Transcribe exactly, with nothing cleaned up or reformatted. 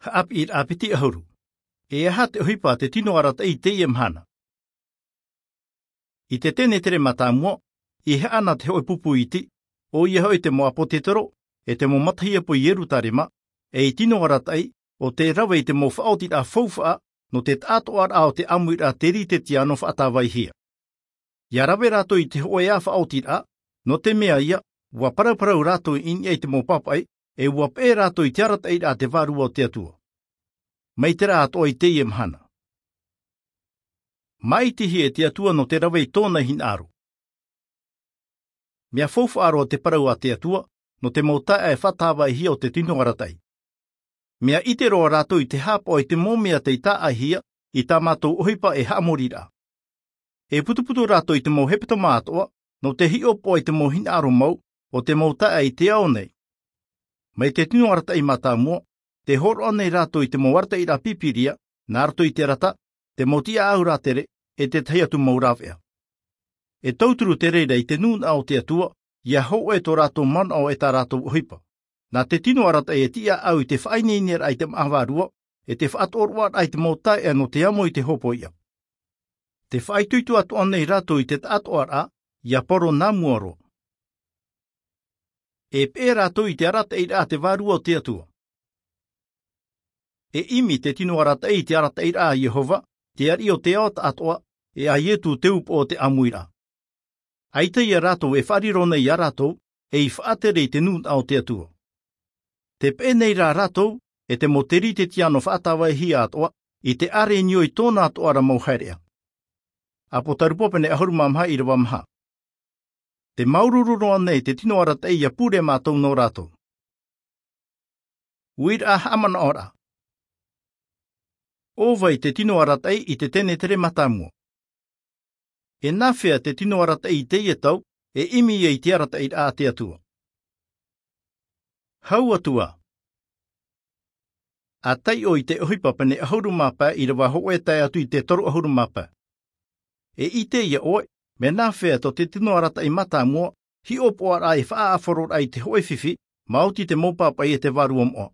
Haʻapiʻiraʻa piti ʻahuru. E aha te ʻohipa a te tino arataʻi i teie mahana? I te tenetere mātāmua, i haʻana te hōʻē pupu iti, ʻoia hoʻi te mau ʻāpōtetoro, e te mau matahiapo i Ierutarema, e i tino arataʻi, ʻo te rave i te mau faʻaotiraʻa faufaʻa, nō te taʻatoʻaraʻa o te ʻāmuiraʻa Teritetiano faʻatāvaihia. ʻIa rave rātou i te hōʻē ā faʻaotiraʻa, nō te mea ïa, ʻua parauparau rātou i niʻa i te mau pāpaʻi, e ʻua peʻe rātou i te arataʻiraʻa a te Vārua o te Atua. Mai terā atoʻa i teie mahana. Māʻitihia e te Atua nō te rave i tōna hinaʻaro. Mea faufaʻa roa te parau a te Atua, nō te mau taeaʻe faʻatāvaihia o te tino arataʻi. Mea ʻite roa rātou i te hāpaʻo i te mau mea tei tāʻaihia, i tā mātou ʻohipa e haʻamoriraʻa. E putuputu rātou i te mau hepetoma atoʻa, nō te hiʻopoʻa i te mau hinaʻaro mau, o te mau taeaʻe i te ao nei. Mai te tino arataʻi mātāmua, tē hōroʻa nei rātou i te mau arataʻiraʻa Pīpīria, nā roto i te arata, te mau tiʻaʻau rātere, e tētahi atu mau rāveʻa. E tauturu te reira i te nūnaʻa o te Atua, ʻia hōʻē tō rātou manaʻo e tā rātou ʻohipa. Nā te tino arataʻi e tiʻaʻau i te faʻaineineraʻa i te māʻa vārua, e te faʻatoʻoroʻaraʻa i te mau taeaʻe nō te amo i te hōpoiʻa. Tē faʻaitoito atoʻa nei rātou i te taʻatoʻaraʻa, ʻia poro nā mua roa. E peʻe rātou i te arataʻiraʻa a te Vārua o te Atua. E ʻimi te tino arataʻi i te arataʻiraʻa a Iehova, te ariʻi o te ao taʻatoʻa, e a Ietu te upoʻo o te ʻāmuiraʻa. ʻAita ïa rātou e faʻariro nei iā rātou, ei faʻatere i te nūnaʻa o te Atua. Tē peʻe nei rā rātou, e te mau Teritetiano faʻatāvaihia atoʻa, i te ʻārenio i tōna atoʻa ra mau haereʻa. ʻĀpōtarupo pene ʻahuru mā maha ʻīrava maha. Tē māuruuru noa nei te tino arataʻi ʻia pure mātou nō rātou. Uiraʻa haʻamanaʻoraʻa. ʻO vai te tino arataʻi i te tenetere mātāmua? E nāfea te tino arataʻi i teie tau, e ʻimi ai i te arataʻiraʻa a te Atua? Hau atu ā. ʻA taiʻo i te ʻohipa pene ʻahuru mā pae ʻīrava hōʻē tae atu i te toru ʻahuru mā pae. E ʻite ïa ʻoe, mea nāfea tō te tino arataʻi mātāmua, hiʻopoʻaraʻa e faʻaʻāfaro ra i te hōʻē fifi, maoti te mau pāpaʻi e te vārua moʻa.